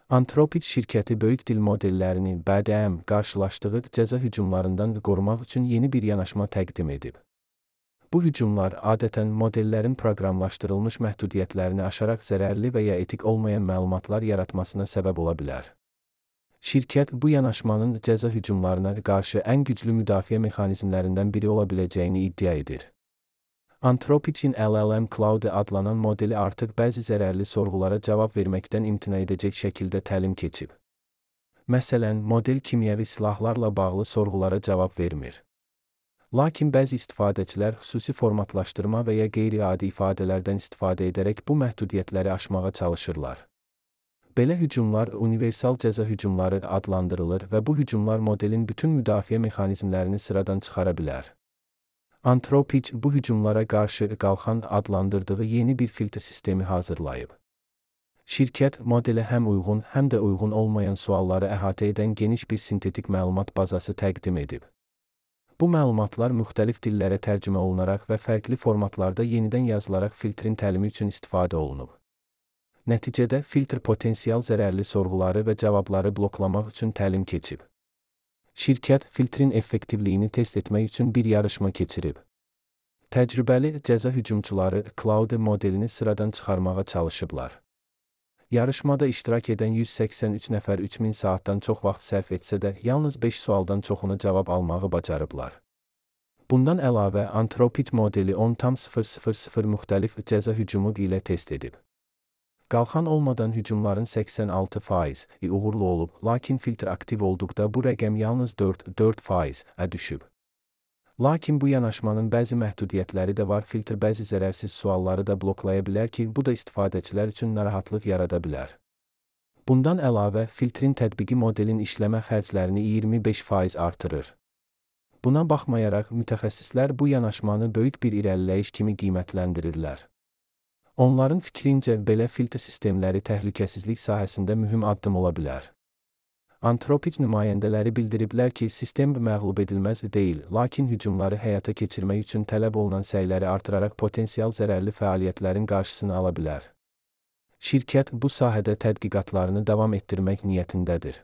Anthropic şirkəti böyük dil modellərini BDM qarşılaşdığı cəza hücumlarından qorumaq üçün yeni bir yanaşma təqdim edib. Bu hücumlar adətən modellərin proqramlaşdırılmış məhdudiyyətlərini aşaraq zərərli və ya etik olmayan məlumatlar yaratmasına səbəb ola bilər. Şirkət bu yanaşmanın cəza hücumlarına qarşı ən güclü müdafiə mexanizmlərindən biri ola biləcəyini iddia edir. Anthropic'in LLM Cloud adlanan modeli artıq bəzi zərərli sorğulara cavab verməkdən imtina edəcək şəkildə təlim keçib. Məsələn, model kimyəvi silahlarla bağlı sorğulara cavab vermir. Lakin bəzi istifadəçilər xüsusi formatlaşdırma və ya qeyri-adi ifadələrdən istifadə edərək bu məhdudiyyətləri aşmağa çalışırlar. Belə hücumlar universal cəza hücumları adlandırılır və bu hücumlar modelin bütün müdafiə mexanizmlərini sıradan çıxara bilər. Anthropic bu hücumlara qarşı qalxan adlandırdığı yeni bir filtr sistemi hazırlayıb. Şirkət modelə həm uyğun, həm də uyğun olmayan sualları əhatə edən geniş bir sintetik məlumat bazası təqdim edib. Bu məlumatlar müxtəlif dillərə tərcümə olunaraq və fərqli formatlarda yenidən yazılaraq filtrin təlimi üçün istifadə olunub. Nəticədə filtr potensial zərərli sorğuları və cavabları bloklamaq üçün təlim keçib. Şirkət filtrin effektivliyini test etmək üçün bir yarışma keçirib. Təcrübəli cəza hücumçuları Cloud modelini sıradan çıxarmağa çalışıblar. Yarışmada iştirak edən 183 nəfər 3000 saatdan çox vaxt sərf etsə də, yalnız 5 sualdan çoxunu cavab almağı bacarıblar. Bundan əlavə, Anthropic modeli 10,000 müxtəlif cəza hücumu ilə test edib. Qalxan olmadan hücumların 86% uğurlu olub, lakin filtr aktiv olduqda bu rəqəm yalnız 4% düşüb. Lakin bu yanaşmanın bəzi məhdudiyyətləri də var, filtr bəzi zərərsiz sualları da bloklaya bilər ki, bu da istifadəçilər üçün narahatlıq yarada bilər. Bundan əlavə, filtrin tətbiqi modelin işləmə xərclərini 25% artırır. Buna baxmayaraq, mütəxəssislər bu yanaşmanı böyük bir irəliləyiş kimi qiymətləndirirlər. Onların fikrincə, belə filtr sistemləri təhlükəsizlik sahəsində mühüm addım ola bilər. Anthropic nümayəndələri bildiriblər ki, sistem məğlub edilməz deyil, lakin hücumları həyata keçirmək üçün tələb olunan səyləri artıraraq potensial zərərli fəaliyyətlərin qarşısını ala bilər. Şirkət bu sahədə tədqiqatlarını davam etdirmək niyyətindədir.